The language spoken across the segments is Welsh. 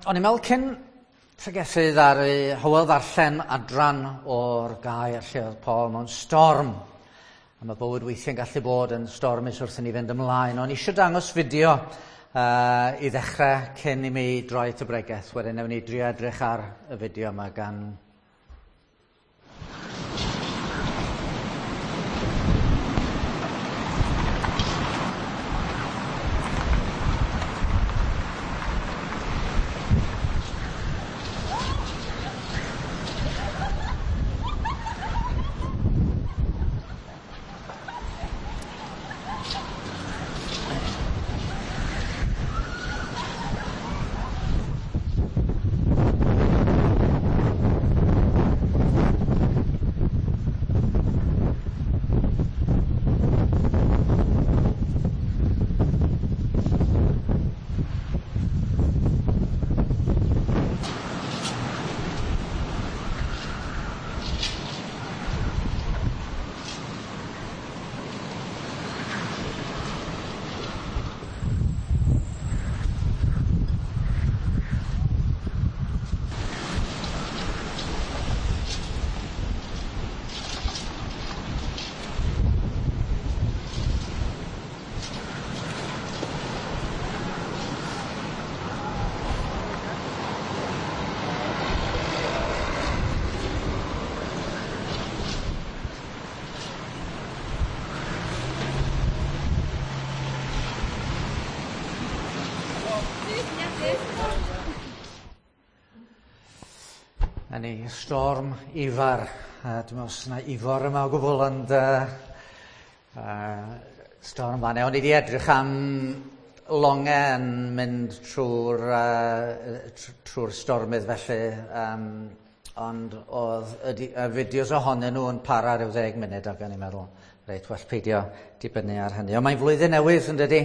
O'n i'n meddwl cyn pregethu ddaru Hywel ddarllen adran o'r gair lle oedd Paul mewn storm. A mae bywyd weithiau'n gallu bod yn stormus wrth i ni fynd ymlaen. O'n i eisiau dangos fideo i ddechrau cyn i mi droi at y bregeth. Wedyn newn ni drio edrych ar y fideo yma gan Na ni, storm Ifar. Dwi'n meddwl os yna Ifor yma o gwbl, ond storm fan. O'n i wedi edrych am longau yn mynd trwy'r stormydd felly, ond oedd y fideos ohonyn nhw yn para rhyw 10 munud, ac o'n i'n meddwl, reit, well peidio dibynnu ar hynny. Ond mae'n flwyddyn newydd, yn dydi?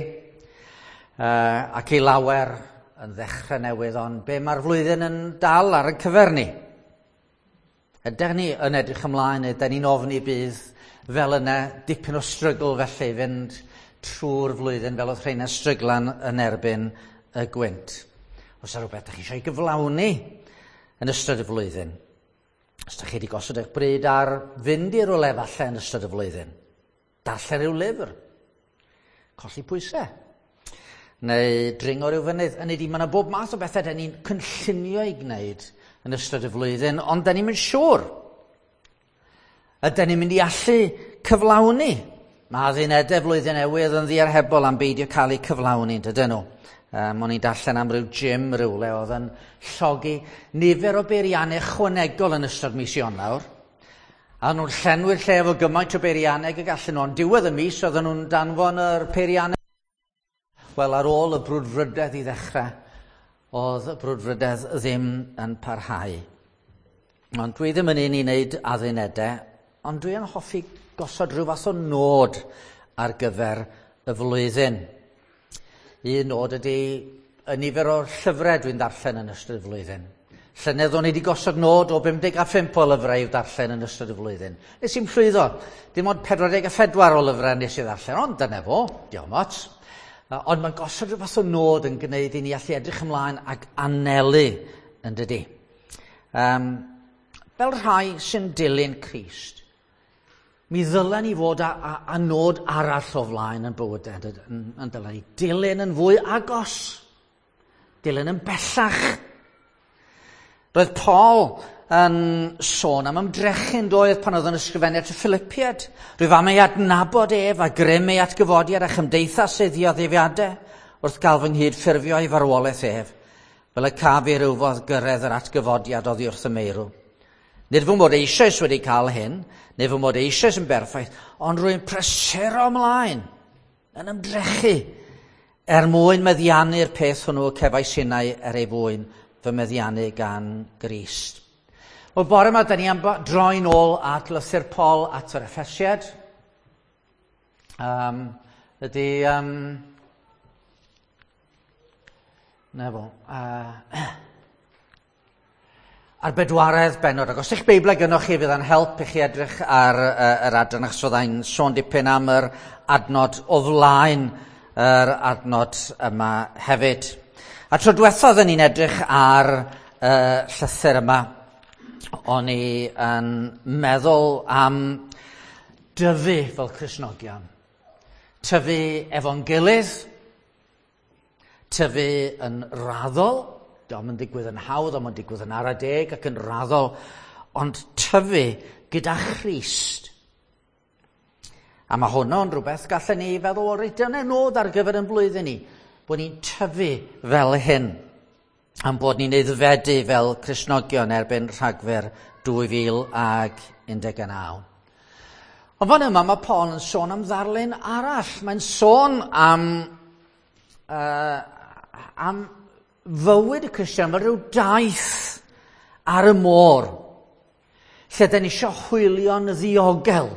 Ac i lawer yn ddechrau newydd, ond be mae'r flwyddyn yn dal ar y cyfer ni? Ydych ni yn edrych ymlaen, ydyn ni'n ofni bydd fel yna dipyn o strygl felly fynd trwy'r flwyddyn fel oedd rheina'n stryglan yn erbyn y gwynt. Os yna rhywbeth ydych chi eisiau ei gyflawni yn ystod y flwyddyn, os ydych chi wedi gosod eich bryd ar fynd i rywle falle yn ystod y flwyddyn, darllen rhyw lyfr, colli pwysau, neu dringo rhyw fynydd. Hynny ydi, mae yna bob math o bethau dan ni'n cynllunio i gwneud yn ystod y flwyddyn, ond dan ni'm yn siŵr. Ydyn ni'n mynd i allu cyflawni? Mae addunedau flwyddyn newydd yn ddiarhebol am beidio cael eu cyflawni, dydyn nhw. O'n i'n darllen am ryw gym rywle oedd yn llogi nifer o beiriannau ychwanegol yn ystod mis Ionawr. A nhw'n llenwi'r lle efo gymaint o beiriannau y gallen nhw, ond diwedd y mis oedden nhw'n danfon yr peiriannau. Wel, ar ôl y brwdfrydedd i ddechrau, oedd y brwdfrydedd ddim yn parhau. Ond dwi ddim yn un i wneud addunedau, ond dwi yn hoffi gosod rhyw fath o nod ar gyfer y flwyddyn. Un nod ydy y nifer o'r llyfrau dwi'n darllen yn ystod y flwyddyn. Llynedd o'n i wedi gosod nod o 55 o lyfrau i'w darllen yn ystod y flwyddyn. Nes i'm llwyddo, dim ond 44 o lyfrau nes i ddarllen, ond dyna fo, diolch ots. Ond mae'n gosod rhyw fath o nod yn gwneud i ni allu edrych ymlaen ac anelu, yn dydi. Fel rhai sy'n dilyn Crist, mi ddylen ni fod â nod arall o flaen yn bywydau, yn dylen ni dilyn yn fwy agos, dilyn yn bellach. Roedd Paul yn sôn am ymdrechu'n doedd pan oedd yn ysgrifennu at y Philippiaid. Rwyf am ei adnabod ef a grym ei atgyfodiad a chymdeithas ei ddioddefiadau wrth gael fy nghyd-ffurfio ei farwolaeth ef, fel y caf i rywfodd gyrraedd yr atgyfodiad oddi wrth y meirw. Nid fy mod eisoes wedi cael hyn, neu fy mod eisoes yn berffaith, ond rwy'n prysuro ymlaen, yn ymdrechu, er mwyn meddiannu'r peth hwnnw y cefais innau er ei fwyn fy meddiannu gan Grist. Wel, bore yma, da ni am droi'n ôl at lythyr Paul at yr Effesiaid. Na fo. Ar bedwaredd bennod, ac os eich Beiblau gynnoch chi, fydd yn help i chi edrych ar yr adran, achos fyddai'n sôn dipyn am yr adnod o flaen yr adnod yma hefyd. A tro diwethaf oedden ni'n edrych ar y llythyr yma, o'n i yn meddwl am dyfu fel Cristnogion. Tyfu efo'n gilydd, tyfu yn raddol, dio'm yn digwydd yn hawdd, ond mae'n digwydd yn ara deg ac yn raddol, ond tyfu gyda Christ. A mae hwnnw'n rhywbeth gallen ni feddwl, o reit, dyna nod ar gyfer yn blwyddyn ni, bod ni'n tyfu fel hyn, am bod ni'n aeddfedu fel Cristnogion erbyn Rhagfyr 2019. Ond fan yma mae Paul yn sôn am ddarlun arall. Mae'n sôn am fywyd y Cristion fel rhyw daith ar y môr, lle da ni eisiau hwylio'n ddiogel.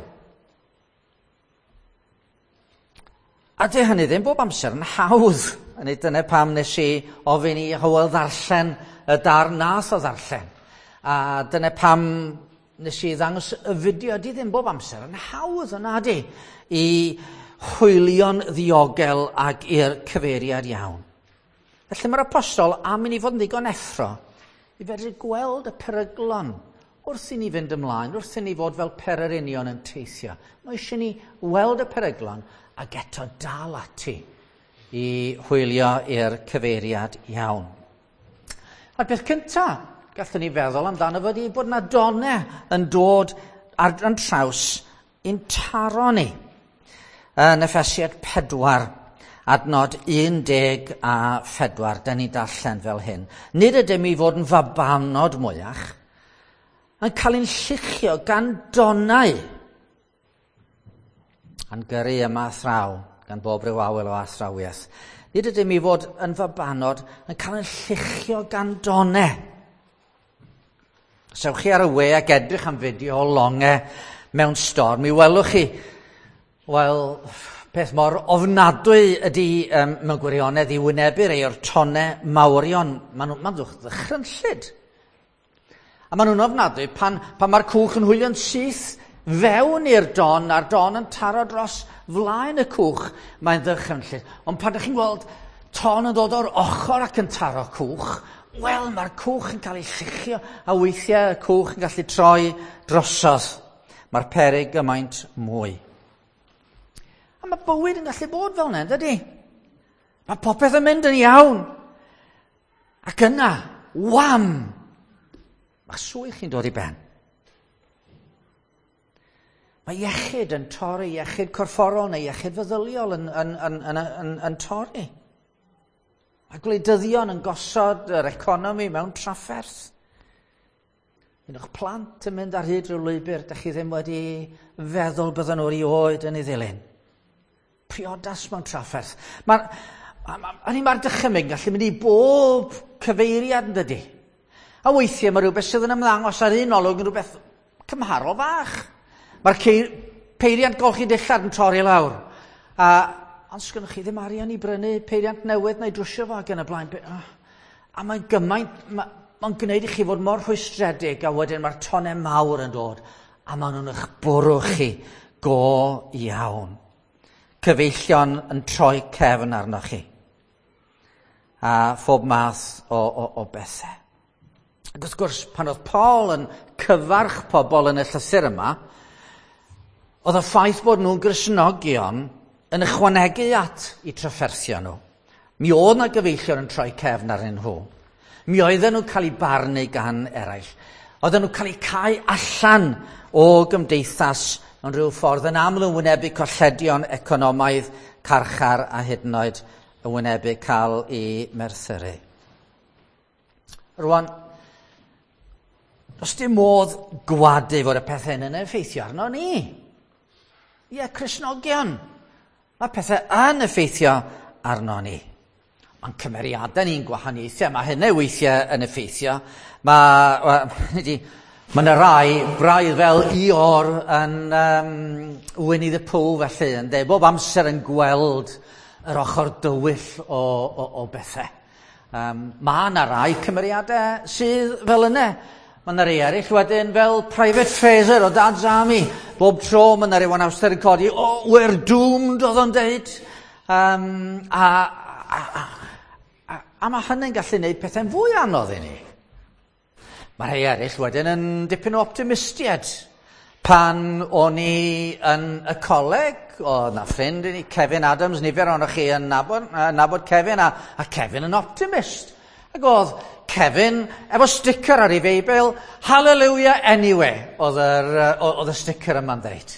A dy hynny ddim bob amser yn hawdd. Neu dyna pam nes i ofyn i Hywel ddarllen y darn nath o ddarllen. A dyna pam nes i ddangos y fideo. Di ddim bob amser yn hawdd yna di i hwylio'n ddiogel ac i'r cyfeiriad iawn. Felly mae'r apostol am i ni fod yn ddigon effro i fedru gweld y peryglon wrth i ni fynd ymlaen, wrth i ni fod fel pererinion yn teithio. Mae eisiau ni weld y peryglon ac eto dal ati i hwylio i'r cyfeiriad iawn. A'r peth cyntaf gallwn ni feddwl amdano fod i bod yna donau yn dod ar yn traws i'n taro ni. Yn Effesiad 4, adnod 14, da ni'n darllen fel hyn. Nid ydym i fod yn fabanod mwyach, yn cael ein lluchio gan donau, a'n gyrru yma athraw, gan bob rhyw awel o athrawiaeth. Nid ydym i fod yn fabanod yn cael ein lluchio gan donau. Os ewch chi ar y we ac edrych am fideo o longau mewn storm, mi welwch chi, wel, peth mor ofnadwy ydy mewn gwirionedd i wynebu rhai o'r tonau mawrion. Maen nhw'n ddychrynllyd. A maen nhw'n ofnadwy pan mae'r cwch yn hwylio'n syth fewn i'r don, a'r don yn taro dros flaen y cwch, mae'n ddychrynllyd. Ond pan ydych chi'n gweld ton yn dod o'r ochr ac yn taro cwch, wel, mae'r cwch yn cael ei lluchio, a weithiau y cwch yn gallu troi drosodd. Mae'r peryg gymaint mwy. A mae bywyd yn gallu bod fel yna, dydy? Mae popeth yn mynd yn iawn. Ac yna, wham! Mae swydd chi'n dod i ben. Mae iechyd yn torri, iechyd corfforol neu iechyd feddyliol yn torri. Mae gwleidyddion yn gosod yr economi mewn trafferth. Un o'ch plant yn mynd ar hyd rhyw lwybr, dych chi ddim wedi feddwl bydden nhw erioed yn ei ddilyn. Priodas mewn trafferth. Mae'r dychymyg yn gallu mynd i bob cyfeiriad yn dydy. A weithiau mae rhywbeth sydd yn ymddangos ar un olwg yn rhywbeth cymharol fach. Mae'r peiriant golchi dillad yn torri lawr. Ond sgynnoch chi ddim arian i brynu peiriant newydd neu drwsio fo ac yn y blaen. A mae'n gymaint, mae'n gwneud i chi fod mor rhwystredig, a wedyn mae'r tonau mawr yn dod a maen nhw'n eich bwrw chi go iawn. Cyfeillion yn troi cefn arnoch chi. A phob math o bethau. Ac wrth gwrs, pan oedd Paul yn cyfarch pobl yn y llythyr yma, oedd y ffaith bod nhw'n Gristnogion yn ychwanegu at eu trafferthion nhw. Mi oedd na gyfeillion yn troi cefn arnyn nhw. Mi oedden nhw'n cael eu barnu gan eraill. Oedden nhw'n cael eu cau allan o gymdeithas mewn rhyw ffordd, yn aml yn wynebu colledion economaidd, carchar a hyd yn oed yn wynebu cael eu merthyru. Rwan, does dim modd gwadu fod y pethau hyn yn effeithio arno ni. Ie, Cristnogion. Mae pethau yn effeithio arno ni. Mae'n cymeriadau ni'n gwahaniaethau. Mae hynny weithiau yn effeithio. Mae yna rai braidd fel Ior yn Winnie the Pooh felly, yn dweud, bob amser yn gweld yr ochr dywyll o bethau. Mae yna rai cymeriadau sydd fel yna. Mae yna rai eraill wedyn fel Private Fraser o Dad's Army. Bob tro mae yna rhyw anawster yn codi, oh, we're doomed, oedd o'n deud. A A mae hynny'n gallu gwneud pethau'n fwy anodd i ni. Mae rhai eraill wedyn yn dipyn o optimistiaid. Pan o'n i yn y coleg, oedd na ffrind i ni, Kevin Adams, nifer ohonoch chi yn nabod Kevin, a Kevin yn optimist. Ac oedd Kevin efo sticker ar ei Feibl, "Hallelujah anyway", oedd y sticker yma'n dweud.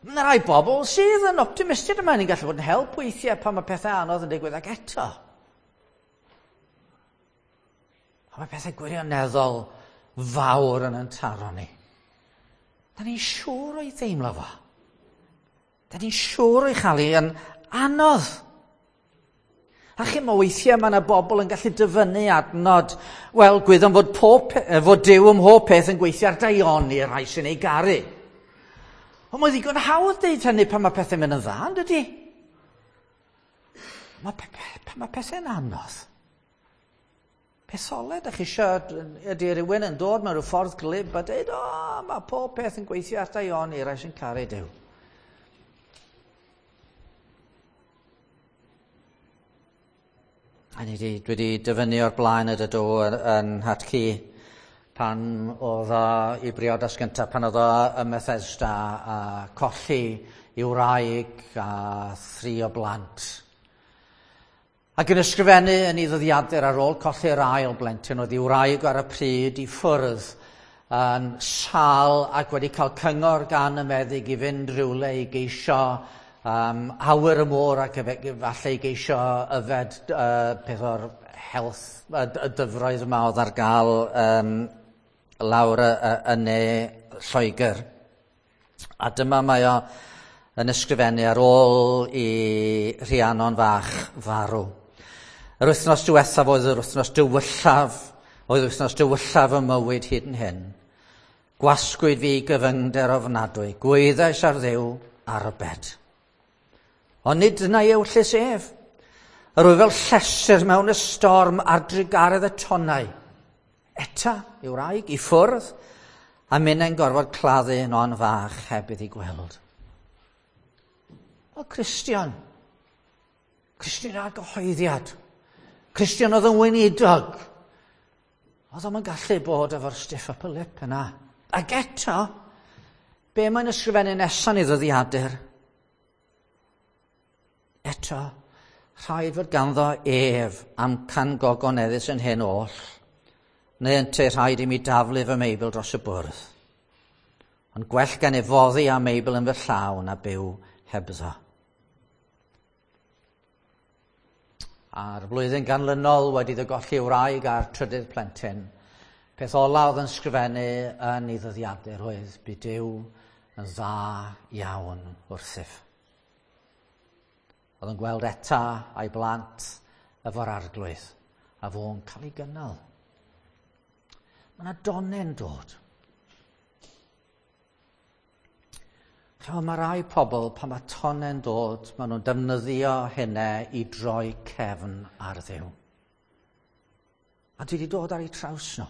Mae yna rai bobl sydd yn optimistiaid yma, ni'n gallu bod yn help weithiau pan mae pethau anodd yn digwydd, ac eto. A mae pethau gwirioneddol fawr yn taro ni. Da ni'n siŵr o'i ddeimlo fo. Da ni'n siŵr o'i chael hi yn anodd. A chi, mae weithiau mae yna bobl yn gallu dyfynnu adnod. Wel, gwyddom fod Duw ym mhob peth yn gweithio ar daioni y rhai sy'n ei garu. Ond mae ddigon hawdd deud hynny pan mae pethau'n mynd yn dda, yn dydy? Pan mae pethau'n anodd. Peth ola ydych chi eisiau, ydy rhywun yn dod mewn rhyw ffordd glib a dweud, "O, mae pob peth yn gweithio ar daioni i'r rhai sy'n caru Duw." A dwi wedi dyfynnu o'r blaen y dydw yn 'nhad-cu pan oedd o i briodas gyntaf, pan oedd o ym Methesda a colli i wraig a thri o blant. Ac yn ysgrifennu yn ei ddyddiadur ar ôl colli'r ail blentyn, oedd ei wraig ar y pryd i ffwrdd yn sâl ac wedi cael cyngor gan y meddyg i fynd rhywle i geisio awyr y môr ac falle i geisio yfed peth o'r health, y dyfroedd yma oedd ar gael lawr yn ne Lloegr. A dyma mae o yn ysgrifennu ar ôl i Rhiannon fach farw. "Yr wythnos diwethaf oedd yr wythnos dywyllaf, oedd wythnos dywyllaf y mywyd hyd yn hyn. Gwasgwyd fi gyfyngder ofnadwy, gwaeddais ar Dduw arbed. Ond nid dyna ei ewyllys ef. Yr wyf fel llestr mewn ystorm ar drugaredd y tonnau. Etta, ei wraig, i ffwrdd, a minnau'n gorfod claddu Non fach heb iddi gweld." O, Cristion. Cristion ar gyhoeddiad. Cristion oedd yn weinidog. Oedd o'm yn gallu bod efo'r stiff upper lip yna. Ac eto, be mae'n ysgrifennu nesaf yn ei ddyddiadur? "Eto, rhaid fod ganddo ef amcan gogoneddus yn hyn oll, neu ynte rhaid i mi daflu fy Meibl dros y bwrdd. Ond gwell gen i foddi â Meibl yn fy llaw na byw hebddo." A'r flwyddyn ganlynol wedi iddo golli wraig a'r trydydd plentyn, peth ola oedd yn sgrifennu yn ei ddyddiadur oedd, "Bu Duw yn dda iawn wrthyf." Oedd yn gweld Etta a'i blant efo'r Arglwydd, a fo'n cael ei gynnal. Mae yna donne'n dod. Chymod, mae rai pobl, pan mae tonne'n dod, maen nhw'n defnyddio hynna i droi cefn ar Dduw. A dwi wedi dod ar eu traws nhw.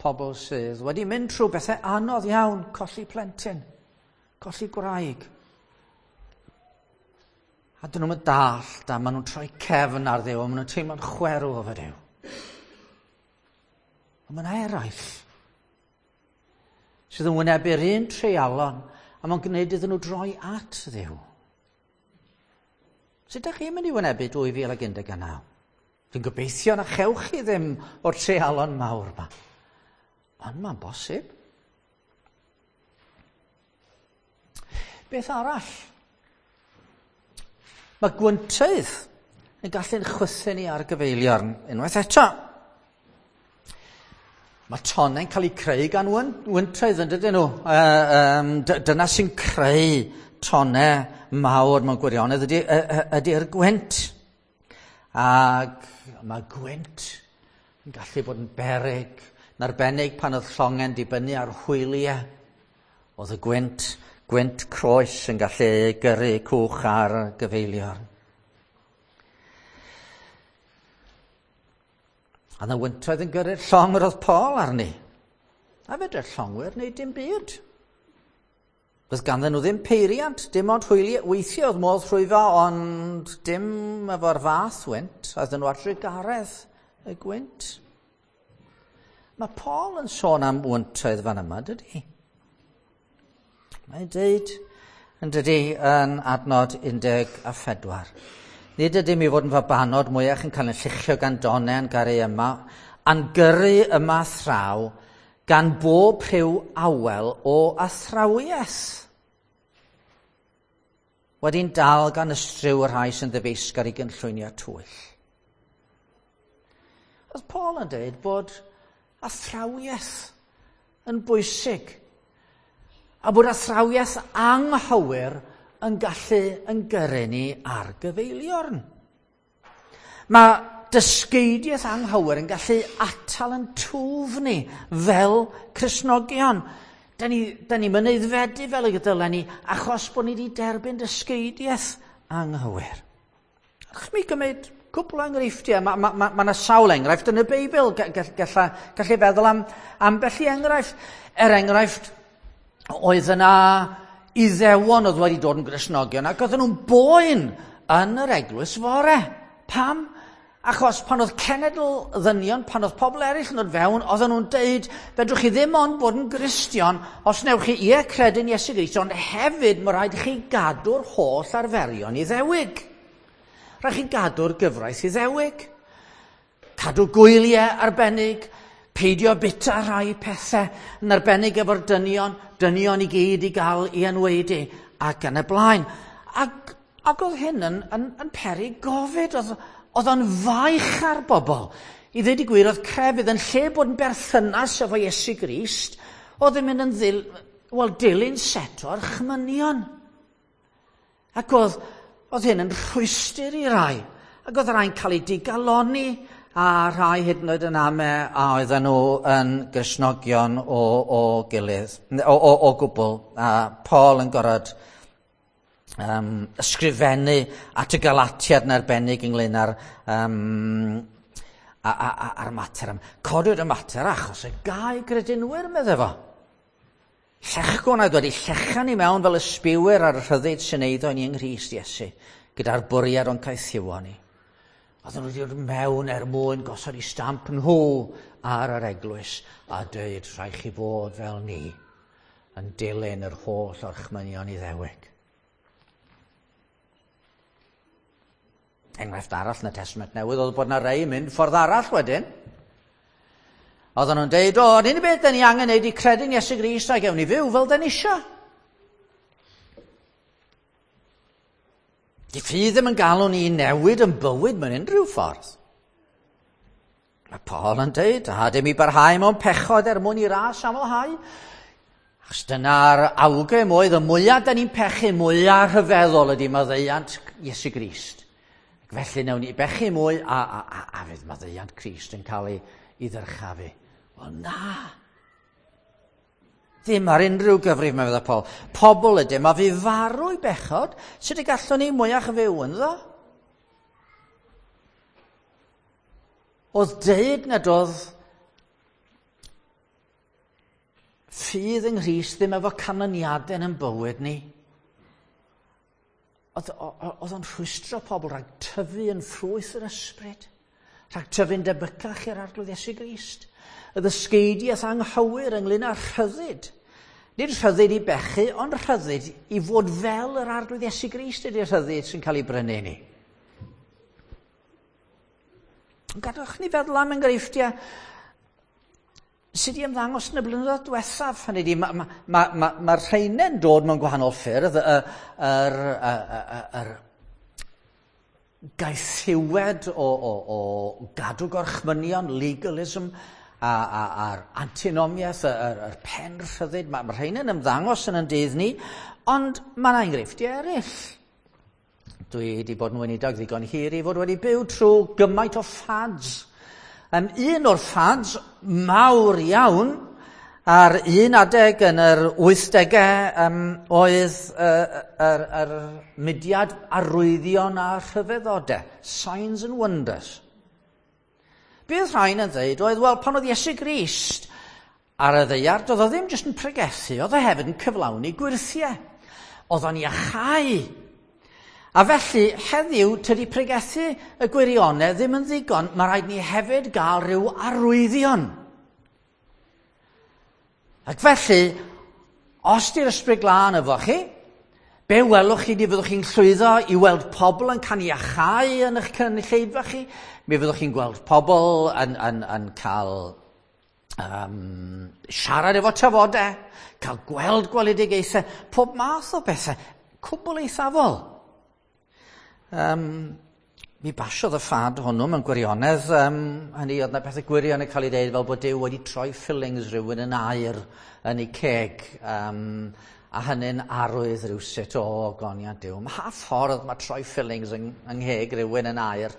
Pobl sydd wedi mynd trwy bethau anodd iawn, colli plentyn, colli gwraig. A dyn nhw'n dallt, a maen nhw'n troi cefn ar Dduw, a maen nhw'n teimlo'n chwerw efo Duw. Ond mae yna eraill sydd yn wynebu'r un treialon, a mae'n gwneud iddyn nhw droi at Dduw. Sut ydych chi'n mynd i wynebu 2019? Dwi'n gobeithio na chewch chi ddim o'r treialon mawr yma. Ond mae'n bosib. Beth arall? Mae gwyntoedd yn gallu'n chwythu ni ar gyfeiliorn unwaith eto. Mae tonnau'n cael eu creu gan wyntoedd, yn dydyn nhw? Dyna sy'n creu tonnau mawr mewn gwirionedd ydy'r gwynt. Ac mae gwynt yn gallu bod yn beryg, yn arbennig pan oedd llongau'n dibynnu ar hwyliau. Oedd y gwynt croes yn gallu gyrru cwch ar gyfeiliorn. A yna wyntoedd yn gyrru'r llong yr oedd Paul arni. A fedr'r llongwyr wneud dim byd. Doedd ganddyn nhw ddim peiriant, dim ond hwyliau. Weithiau oedd modd rhwyfo, ond dim efo'r fath wynt. Oedden nhw ar drugaredd y gwynt. Mae Paul yn sôn am wyntoedd fan yma, dydy? Mae'n deud, yn dydy, yn adnod 14. Nid ydym i fod yn fabanod mwyach yn cael ein lluchio gan donau a'n garu yma, a'n gyrru yma thraw gan bob rhyw awel o athrawiaeth. Wedi'n dal gan ystryw y rhai sy'n ddyfeisgar i gynllwynio twyll. Oedd Paul yn dweud bod athrawiaeth yn bwysig, a bod athrawiaeth anghywir yn gallu yn gyrru ni ar gyfeiliorn. Mae dysgeidiaeth anghywir yn gallu atal yn twf ni fel Cristnogion. Da ni'n mynd aeddfedu fel y dylen ni achos bod ni wedi derbyn dysgeidiaeth anghywir. Ach, mi gymryd cwpl o enghreifftiau. Mae ma, ma, ma 'na sawl enghraifft yn y Beibl. Gallai feddwl am ambell i enghraifft. Er enghraifft, oedd yna Iddewon oedd wedi dod yn Gristnogion ac oedden nhw'n boen yn yr eglwys fore. Pam? Achos pan oedd cenedl ddynion, pan oedd pobl eraill yn dod fewn, oedden nhw'n deud, fedrwch chi ddim ond bod yn Gristion os newch chi ie credu'n Iesu Grist, ond hefyd mae rhaid i chi gadw'r holl arferion Iddewig. Rhaid chi gadw'r gyfraith Iddewig. Cadw gwyliau arbennig, peidio bita rhai pethau, yn arbennig efo'r dynion, dynion i gyd i gael i enwaedu, ac yn y blaen. Ac oedd hyn yn peri gofid, oedd o'n faich ar bobl. I ddweud y gwir, oedd crefydd yn lle bod yn berthynas efo Iesu Grist, oedd yn mynd yn dilyn set o'r chmynion. Ac oedd hyn yn rhwystr i rai. Ac oedd rhai'n cael eu digalonni, a rhai hyd yn oed yn ame a oedden nhw yn Gristnogion o gilydd, o gwbl. A Paul yn gorfod ysgrifennu at y Galatiad yn arbennig ynglyn â'r a'r mater. Codwyd y mater achos y gau gredinwyr, meddai fo. Llechgwn oedd wedi llechan i mewn fel ysbiwyr ar y rhyddid sy'n eiddo i ni yng Nghrist Iesu, gyda'r bwriad o'n caethiwo ni. Oedden nhw wedi dod mewn er mwyn gosod eu stamp nhw ar yr eglwys a dweud rhaid chi fod fel ni yn dilyn yr holl orchmynion Iddewig. Enghraifft arall yn y Testament Newydd oedd bod yna rei yn mynd ffordd arall wedyn. Oedden nhw'n deud, o, yr unig beth da ni angen neud i credu'n Iesu Grist a gewn ni fyw fel da ni isio. Di ffydd ddim yn galw ni i newid yn bywyd mewn unrhyw ffordd. Mae Paul yn deud, a dim i barhau mewn pechod er mwyn i ras amlhau. Achos dyna'r awgrym oedd, y mwyaf da ni'n pechu, mwyaf rhyfeddol ydy maddeuant Iesu Grist. Ac felly newn ni bechu mwy a fydd maddeuant Crist yn cael ei ddyrchafu. Wel na! Ddim ar unrhyw gyfrif, mae fydda Paul. Pobl ydym, a fi farw i bechod, sut y gallwn ni mwyach fyw ynddo? Oedd deud nad oedd ffydd yng Nghrist ddim efo canlyniadau yn bywyd ni. Oedd o'n rhwystro pobl rhag tyfu yn ffrwyth yr ysbryd, rhag tyfu'n debycach i'r Arglwydd Iesu Grist. Y ddysgeidiaeth anghywir ynglyn â rhyddid. Nid rhyddid i bechu, ond rhyddid i fod fel yr Arglwydd Iesu Grist ydy'r rhyddid sy'n cael ei brynu ni. Gadwch ni feddwl am enghreifftiau sydd wedi ymddangos yn y blynyddoedd diwethaf. Hynny ydi, mae'r rheinau'n dod mewn gwahanol ffyrdd, yr gaethiwed o gadw gorchmynion, legalism, a'r antinomiaeth, yr pen rhyddid. Mae'r rheinau'n ymddangos yn dydd ni, ond mae yna enghreifftiau eraill. Dwi wedi bod yn weinidog ddigon hir i fod wedi byw trwy gymaint o fads. Un o'r fads mawr iawn ar un adeg yn yr 80au oedd yr mudiad arwyddion a rhyfeddodau, Signs and Wonders. Bydd rhain yn dweud oedd, wel, pan oedd Iesu Grist ar y ddaear, doedd o ddim jyst yn pregethu, oedd o hefyd yn cyflawni gwyrthiau. Oedd o'n iachau. A felly, heddiw, tydi pregethu y gwirionedd ddim yn ddigon, mae rhaid ni hefyd gael rhyw arwyddion. Ac felly, os di'r Ysbryd Glân efo chi, be welwch chi di fyddwch chi'n llwyddo i weld pobl yn cael iachau yn eich cynulleidfa chi, mi fyddwch chi'n gweld pobl yn cael siarad efo tafodau, cael gweld gweledigaethau, pob math o bethau, cwbl eithafol. Mi basiodd y ffad hwnnw mewn gwirionedd. Hynny oedd 'na pethau gwirion yn cael ei ddeud fel bod Duw wedi troi fillings rhywun yn aur yn ei ceg. A hynny'n arwydd rhywsut o ogoniant Duw. Mha ffordd mae troi fillings yng ngheg rhywun yn aur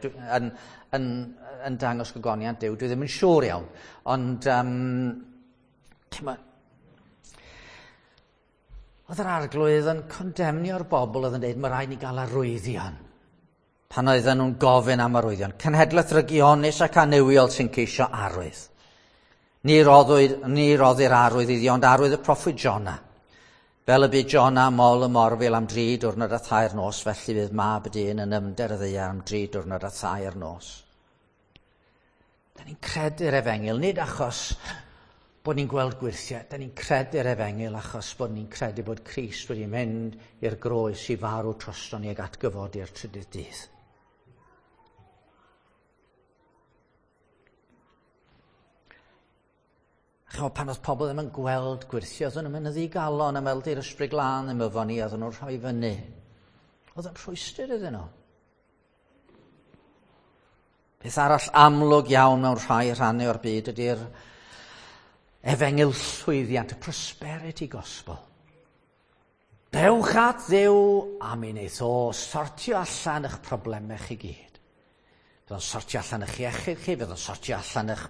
yn dangos gogoniant Duw? Dwi ddim yn siŵr iawn. Ond oedd yr Arglwydd yn condemnio'r bobl oedd yn dweud mae rhaid ni gael arwyddion. Pan oedden nhw'n gofyn am arwyddion. Cenhedlaeth rygionus ac annuwiol sy'n ceisio arwydd. Ni roddir arwydd iddi, ond arwydd y proffwyd Jona. Fel y bu Jona mol y morfil am 3 diwrnod a 3 nos, felly fydd mab y dyn yn ymder y ddaear am 3 diwrnod a 3 nos. Da ni'n credu'r efengyl, nid achos bod ni'n gweld gwyrthiau, da ni'n credu'r efengyl achos bod ni'n credu bod Crist wedi mynd i'r groes i farw drosto ni ag atgyfodi'r trydydd dydd. Chimod, pan oedd pobl ddim yn gweld gwyrthiau, oedden nhw'n mynd yn ddigalon am weld i'r Ysbryd Glân ddim efo ni, oedden nhw'n rhoi fyny. Oedd yn rhwystr iddyn nhw. Peth arall amlwg iawn mewn rhai rhannau o'r byd ydy'r efengyl llwyddiant, y prosperity gospel. Dewch at Dduw a mi wneith o sortio allan eich problemau chi gyd. Fydd o'n sortio allan eich iechyd chi, fydd o'n sortio allan eich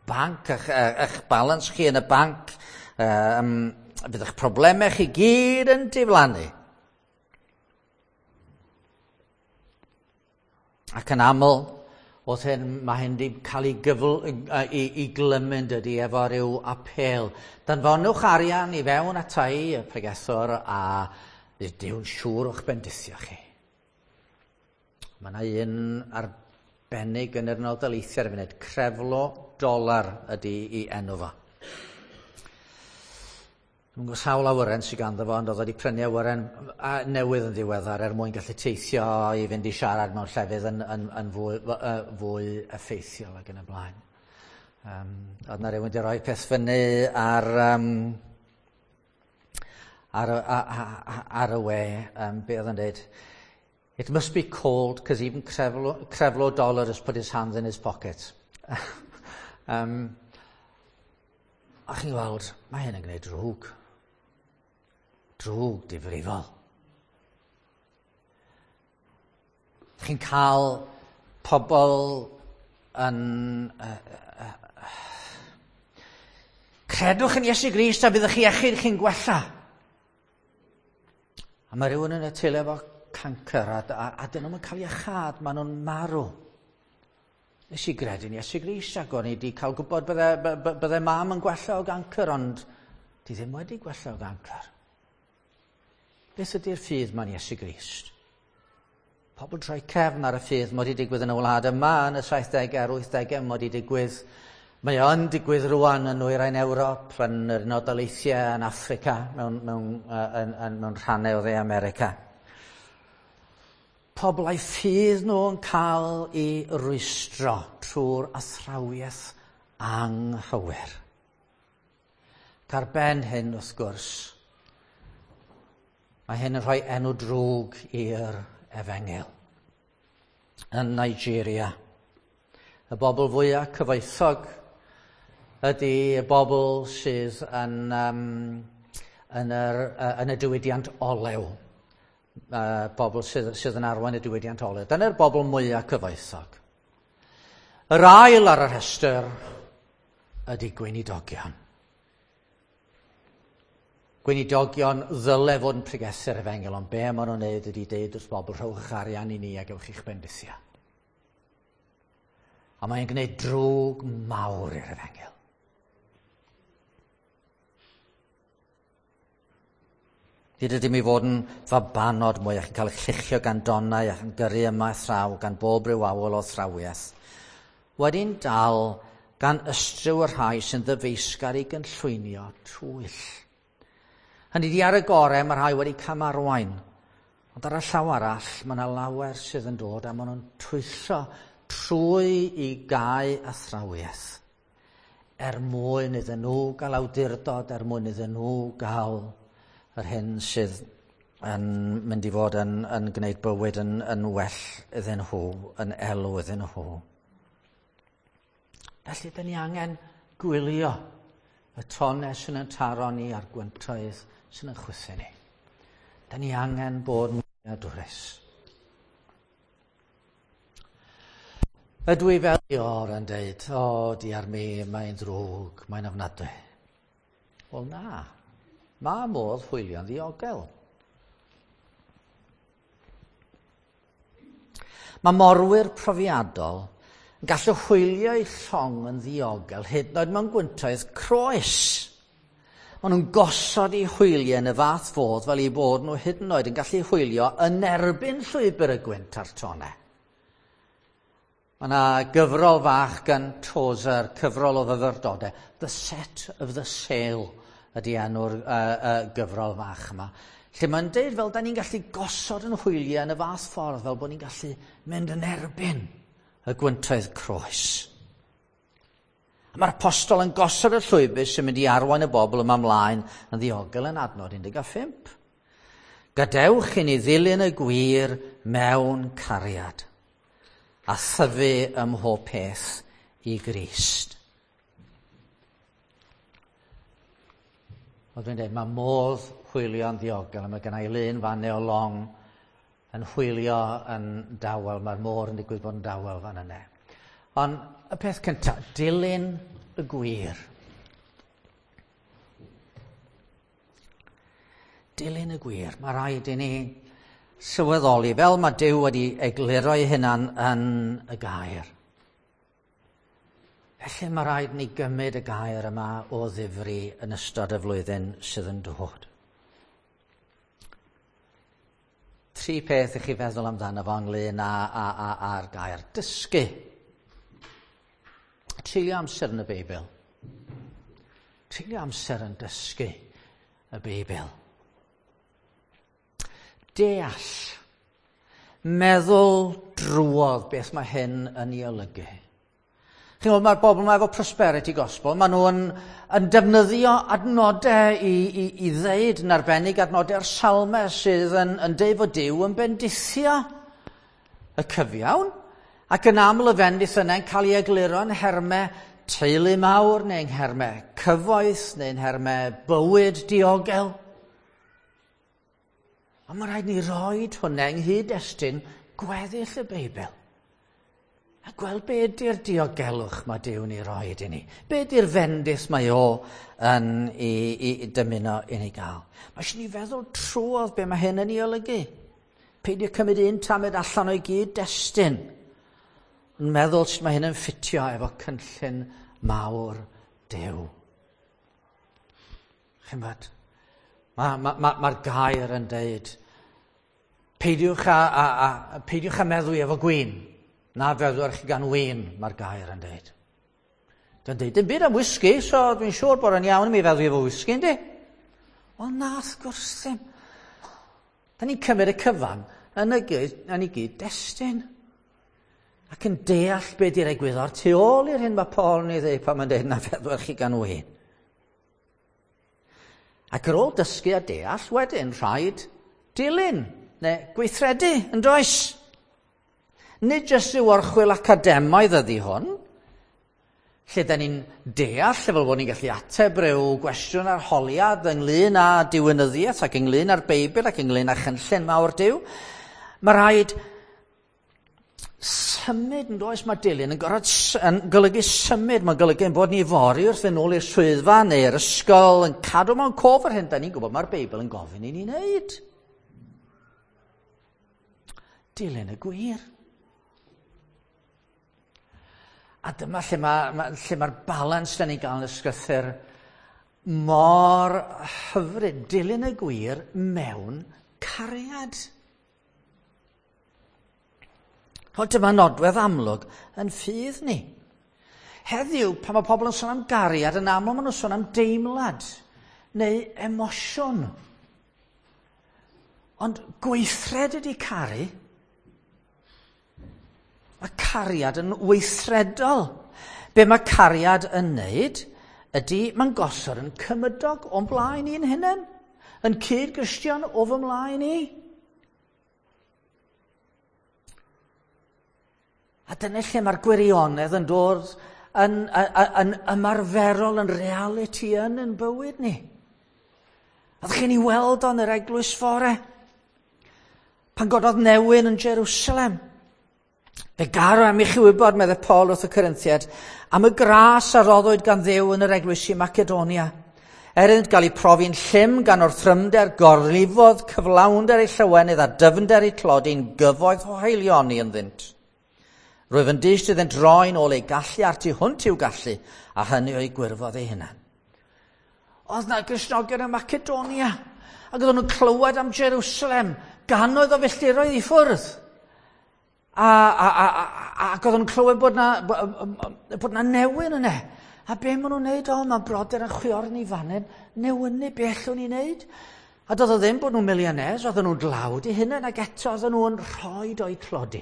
banc, eich balans chi yn y banc, fydd eich problemau chi gyd yn diflannu. Ac yn aml, oedd hyn, mae hyn wedi cael ei glymu dydy efo rhyw apêl. Danfonwch arian i fewn atai y pregethwr a bydd Duw'n siŵr o'ch bendithio chi. Mae yna un arbennig yn yr Unol Daleithiau ar y funud, Creflo Dollar ydy ei enw fo. Dwi'm yn gwybod sawl awyren sydd ganddo fo, ond oedd wedi prynu awyren newydd yn ddiweddar er mwyn gallu teithio i fynd i siarad mewn llefydd yn fwy effeithiol ac yn y blaen. Oedd yna rhywun wedi rhoi peth fyny ar y we, be oedd yn dweud? It must be cold, because even Creflo Dollar has put his hands in his pocket. A chi'n gweld, mae hyn yn gwneud drwg. Drwg difrifol. Chi'n cael pobl yn... Credwch yn Iesu Grist a byddwch chi iechyd chi'n gwella. A mae rhywun yn y teulu efo cancer a dyn nhw'n cael iachâd, maen nhw'n marw. Nes i gredu'n Iesu Grist ac o'n i wedi cael gwybod bydde mam yn gwella o gancr, ond di ddim wedi gwella o gancr. Beth ydy'r ffydd ma'n Iesu Grist? Pobl troi cefn ar y ffydd mod i digwydd yn y wlad yma yn y 70au a'r 80au mod i digwydd. Mae o'n digwydd rwan yn Nwyrain Ewrop, yn yr Unol Daleithiau, yn Affrica, mewn rhannau o Dde America. Pobl a'u ffydd nhw yn cael ei rwystro trwy'r athrawiaeth anghywir. Ac ar ben hyn, wrth gwrs, mae hyn yn rhoi enw drwg i'r efengyl. Yn Nigeria, y bobl fwyaf cyfoethog ydy y bobl sydd yn y diwydiant olew. Bobl sydd yn arwain y diwydiant olew. Dyna'r bobl mwyaf cyfoethog. Yr ail ar y rhestr ydy gweinidogion. Gweinidogion ddyle fod yn pregethu'r efengyl, ond be maen nhw'n neud ydy deud wrth bobl, rhowch arian i ni a gewch chi'ch bendithio. A mae'n gwneud drwg mawr i'r efengyl. Nid ydym i fod yn fabanod mwy ac yn cael eich lluchio gan donnau ac yn gyrru yma a thraw gan bob rhyw awel o athrawiaeth. Wedi'n dal gan ystryw y rhai sy'n ddyfeisgar i gynllwynio twyll. Hynny 'di, ar y gorau mae rhai wedi camarwain, ond ar y llaw arall mae yna lawer sydd yn dod a maen nhw'n twyllo trwy i gau athrawiaeth er mwyn iddyn nhw gael awdurdod, er mwyn iddyn nhw gael yr hyn sydd yn mynd i fod yn, yn gwneud bywyd yn, yn well iddyn nhw, yn elw iddyn nhw. Felly, dyn ni angen gwylio y tonau sy'n yn taro ni a'r gwyntoedd sy'n yn chwythu ni. Dyn ni angen bod yn wyliadwrus. Ydw i fel Ior yn deud, o, diar mi, mae'n ddrwg, mae'n ofnadwy. Wel na, mae modd hwylio'n ddiogel. Mae morwyr profiadol yn gallu hwylio eu llong yn ddiogel hyd yn oed mewn gwyntoedd croes. Maen nhw'n gosod eu hwyliau yn y fath fodd fel eu bod nhw hyd yn oed yn gallu hwylio yn erbyn llwybr y gwynt a'r tonnau. Mae yna gyfrol fach gan Tozer, cyfrol o fyfyrdodau. The Set of the Sail ydy enw'r uh, gyfrol fach yma. Lle mae'n deud fel da ni'n gallu gosod yn hwyliau yn y fath ffordd fel bod ni'n gallu mynd yn erbyn y gwyntoedd croes. A mae'r apostol yn gosod y llwybr sy'n mynd i arwain y bobl yma ymlaen yn ddiogel yn adnod 15. Gadewch i ni ddilyn y gwir mewn cariad a thyfu ym mhob peth i Grist. Wel, dwi'n dweud, mae modd hwylio'n ddiogel, a mae gen i lun fan o long yn hwylio yn dawel, mae'r môr yn digwydd bod yn dawel fan yna. Ond y peth cyntaf, dilyn y gwir. Dilyn y gwir. Mae rhaid i ni sylweddoli, fel mae Duw wedi egluro ei hunan yn y gair. Felly mae rhaid ni gymryd y gair yma o ddifri yn ystod y flwyddyn sydd yn dod. Tri peth i chi feddwl amdano fo ynglyn â, â, â, â'r gair. Dysgu. Treulio amser yn y Beibl. Treulio amser yn dysgu y Beibl. Deall. Meddwl drwodd beth mae hyn yn ei olygu. Chi'n gwybod, mae'r bobl yma efo prosperity gospel, maen nhw'n yn defnyddio adnodau i, i, i ddeud yn arbennig adnodau'r salmau sydd yn, yn deud fod Duw yn bendithio y cyfiawn, ac yn aml y fendith yna yn cael ei egluro yn nhermau teulu mawr, neu yn nhermau cyfoeth, neu yn nhermau bywyd diogel. Ond mae rhaid ni roed hwnna yng nghyd-destun gweddill y Beibl. A gweld be ydy'r diogelwch mae Duw'n ei roed i ni. Be ydy'r fendith mae o yn i, i, i dymuno i ni gael. Mae eisiau ni feddwl trwodd be mae hyn yn ei olygu. Peidio cymryd un tamed allan o'i gyd-destun. Ond meddwl sut mae hyn yn ffitio efo cynllun mawr Duw. Chi'n bod? Mae'r ma, ma, ma gair yn deud, peidiwch â, a, a, peidiwch â meddwi efo gwin. Na feddwch chi gan win, mae'r gair yn deud. Dwi'n deud, dim byd am whisky, so dwi'n siŵr bod yn iawn i mi feddwi efo whisky, yndi? Wel na, wrth gwrs ddim. Da ni'n cymryd y cyfan yn y gyd, yn ei gyd-destun. Ac yn deall be di'r egwyddor tu ôl i'r hyn mae Paul yn ei ddeud pan mae'n deud na feddwch chi gan win. Ac ar ôl dysgu a deall, wedyn rhaid dilyn neu gweithredu, yn does? Nid jyst rhyw orchwyl academaidd ydy hwn, lle da ni'n deall fel bod ni'n gallu ateb rhyw gwestiwn arholiad ynglyn â diwinyddiaeth ac ynglyn â'r Beibl ac ynglyn â chynllun mawr Duw. Mae rhaid symud yn does, mae dilyn yn, gorfod, yn golygu symud, mae'n golygu ein bod ni fory wrth fynd nôl i'r swyddfa neu'r ysgol yn cadw mewn cof yr hyn da ni'n gwybod mae'r Beibl yn gofyn i ni wneud. Dilyn y gwir. A dyma lle mae'r ma, lle mae'r balans da ni'n gael yn y sgrythyr mor hyfryd, dilyn y gwir mewn cariad. O, dyma nodwedd amlwg yn ffydd ni. Heddiw, pan mae pobl yn sôn am gariad, yn aml maen nhw'n sôn am deimlad neu emosiwn. Ond gweithred ydy caru. Mae cariad yn weithredol. Be mae cariad yn wneud ydy mae'n gosod yn cymydog o'n blaen i'n hunain, yn cyd-Gristion o fy mlaen i. A dyna lle mae'r gwirionedd yn dod yn ymarferol, yn realiti yn bywyd ni. A ddech chi'n ei weld o'n yr eglwys fore? Pan gododd newyn yn Jerusalem. Fe garo am i chi wybod, meddai Paul wrth y Corinthiad, am y gras a roddwyd gan Dduw yn yr eglwys i Macedonia. Er iddynt gael eu profi'n llym gan orthrymder, gorlifodd cyflawnder eu llywenydd a dyfnder eu tlodi'n gyfoeth o haelioni ynddynt. Rwyf yn dyst iddynt roi'n ôl eu gallu a'r tu hwnt i'w gallu, a hynny o'i gwirfodd ei hunan. Oedd na Gristnogion yn Macedonia, ac oedden nhw'n clywed am Jerusalem, gannoedd o filltiroedd i ffwrdd. Ac oedden nhw'n clywed bod na newyn yna. A be maen nhw'n neud? O, mae brodyr yn chwiorydd ni fan hyn, newynu, be allwn ni wneud? A doedd o ddim bod nhw'n millionaires, oedden nhw'n dlawd i hunain, ac eto oedden nhw'n rhoi o'i tlodi.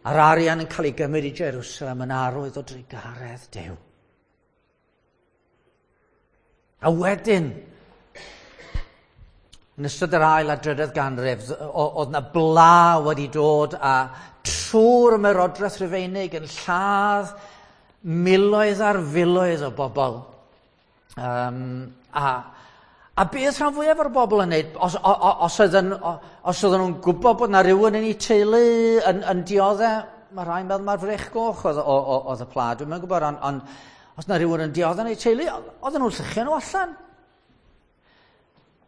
A'r arian yn cael ei gymryd i Jerusalem yn arwydd o drugaredd Duw. A wedyn, yn ystod yr ail a drydedd ganrif, oedd na bla wedi dod a trwy'r ymerodraeth Rufeinig yn lladd miloedd ar filoedd o bobl. A beth rhan fwyaf o'r bobl yn neud, os oedden nhw'n gwybod bod na rhywun yn eu teulu yn dioddef, mae rhai'n meddwl mae'r frech goch oedd y pla, dwi'm yn gwybod, ond os na rhywun yn dioddef yn eu teulu, oedden nhw'n lluchio nhw allan.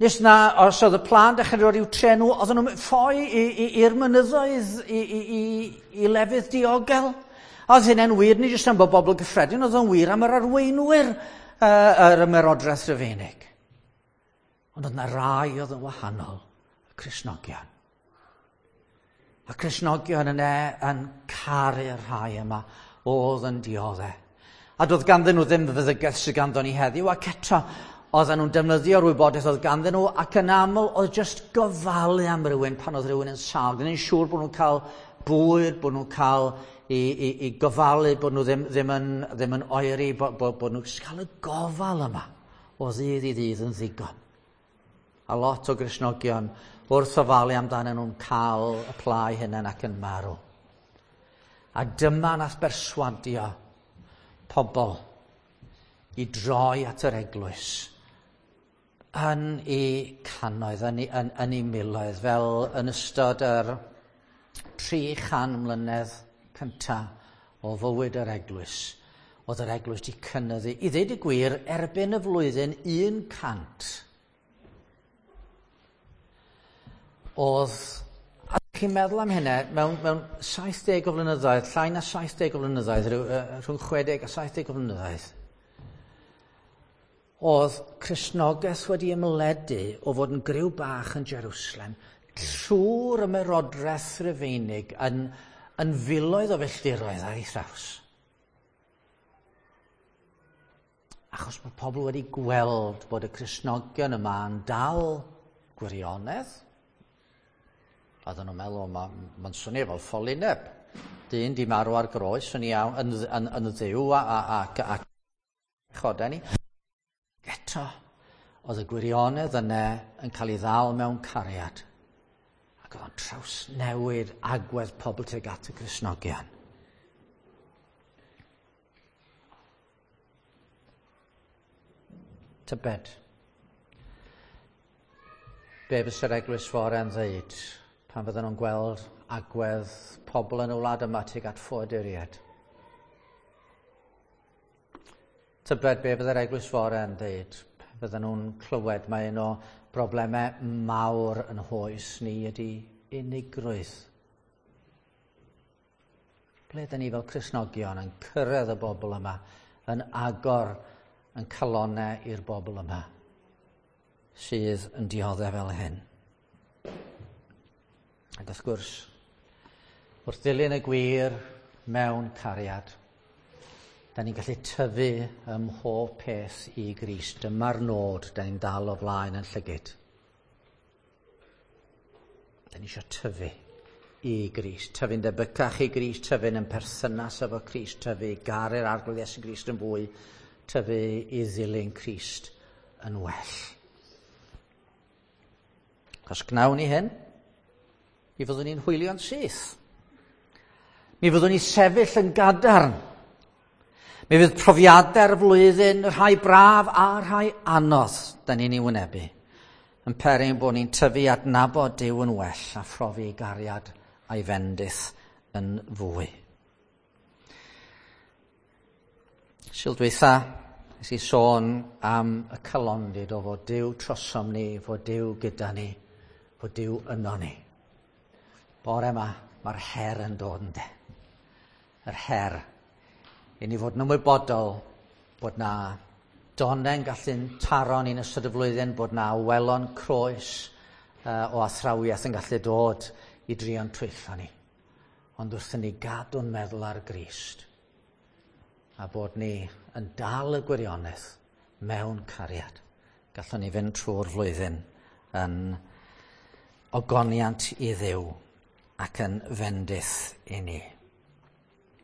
Nes na, os oedd y pla'n dechrau dod i'w tre nhw, oedden nhw'n ffoi i'r mynyddoedd, i lefydd diogel. A oedd hynny'n wir, nid jyst am bod bobl gyffredin, oedd o'n wir am yr arweinwyr yr ymerodraeth Rufeinig. Ond oedd na rai oedd yn wahanol, y Cristnogion. A Cristnogion yna yn caru'r rhai yma oedd yn dioddef. A doedd ganddyn nhw ddim feddygaeth sydd ganddo ni heddiw, ac eto oedden nhw'n defnyddio'r wybodaeth oedd ganddyn nhw, ac yn aml oedd jyst gofalu am rywun pan oedd rhywun yn sâl. Gwneud yn siŵr bod nhw'n cael bwyd, bod nhw'n cael i gofalu, bod nhw ddim yn oeri, bod nhw'n cael y gofal yma o ddydd i ddydd yn ddigon. A lot o Gristnogion wrth ofalu amdanyn nhw'n cael y pla eu hunain ac yn marw. A dyma nath berswadio pobl i droi at yr eglwys yn eu cannoedd, yn eu miloedd, fel yn ystod yr 300 mlynedd cyntaf o fywyd yr eglwys. Oedd yr eglwys wedi cynyddu, i ddweud y gwir, erbyn y flwyddyn 100. Oedd, a chi'n meddwl am hynna, mewn 70 o flynyddoedd, llai na 70 o flynyddoedd, rhwng 60 a 70 o flynyddoedd, oedd Cristnogaeth wedi ymledu o fod yn griw bach yn Jerusalem trwy'r ymerodraeth Rufeinig yn filoedd o filltiroedd ar ei thraws. Achos bod pobl wedi gweld bod y Cristnogion yma yn dal gwirionedd. Oedden nhw'n meddwl, mae'n swnio fel ffolineb. Dyn di marw ar groes yn iawn, yn ddiw a chodau ni. Eto, oedd y gwirionedd yna yn cael ei ddal mewn cariad. Ac oedd o'n trawsnewid agwedd pobl tuag at y Cristnogion. Tybed, be fysa'r eglwys fore yn ddeud pan fydden nhw'n gweld agwedd pobl yn y wlad yma tuag at ffoaduriaid? Tybed be fydde'r eglwys fore yn ddeud pan fydden nhw'n clywed mae un o broblemau mawr yn hoes ni ydy unigrwydd. Ble ydyn ni fel Cristnogion yn cyrraedd y bobl yma, yn agor yn calonau i'r bobl yma sydd yn dioddef fel hyn. Ac wrth gwrs, wrth ddilyn y gwir mewn cariad, da ni'n gallu tyfu ym mhob peth i Grist. Dyma'r nod da ni'n dal o flaen yn llygyd. Da ni eisiau tyfu i Grist, tyfu'n debycach i Grist, tyfu'n yn perthynas efo Crist, tyfu i garu'r Arglwydd Iesu Grist yn fwy, tyfu i ddilyn Crist yn well. Os gnawn ni hyn, mi fyddwn ni'n hwylio'n syth. Mi fyddwn ni sefyll yn gadarn. Mi fydd profiadau'r flwyddyn, rhai braf a rhai anodd, da ni'n ei wynebu, yn peri ein bod ni'n tyfu adnabod Duw yn well a phrofi ei gariad a'i fendith yn fwy. Sul dwytha, nes i sôn am y calondid o fod Duw trosom ni, fod Duw gyda ni, fod Duw yno ni. Bore yma, mae'r her yn dod ynde. Yr her i ni fod yn ymwybodol bod na donnen gallu'n taro ni'n ystod y flwyddyn, bod na welon croes o athrawiaeth yn gallu dod i drio'n twyllo ni. Ond wrth i ni gadw'n meddwl ar Grist, a bod ni yn dal y gwirionedd mewn cariad, gallwn ni fynd trwy'r flwyddyn yn ogoniant i Dduw ac yn fendith i ni.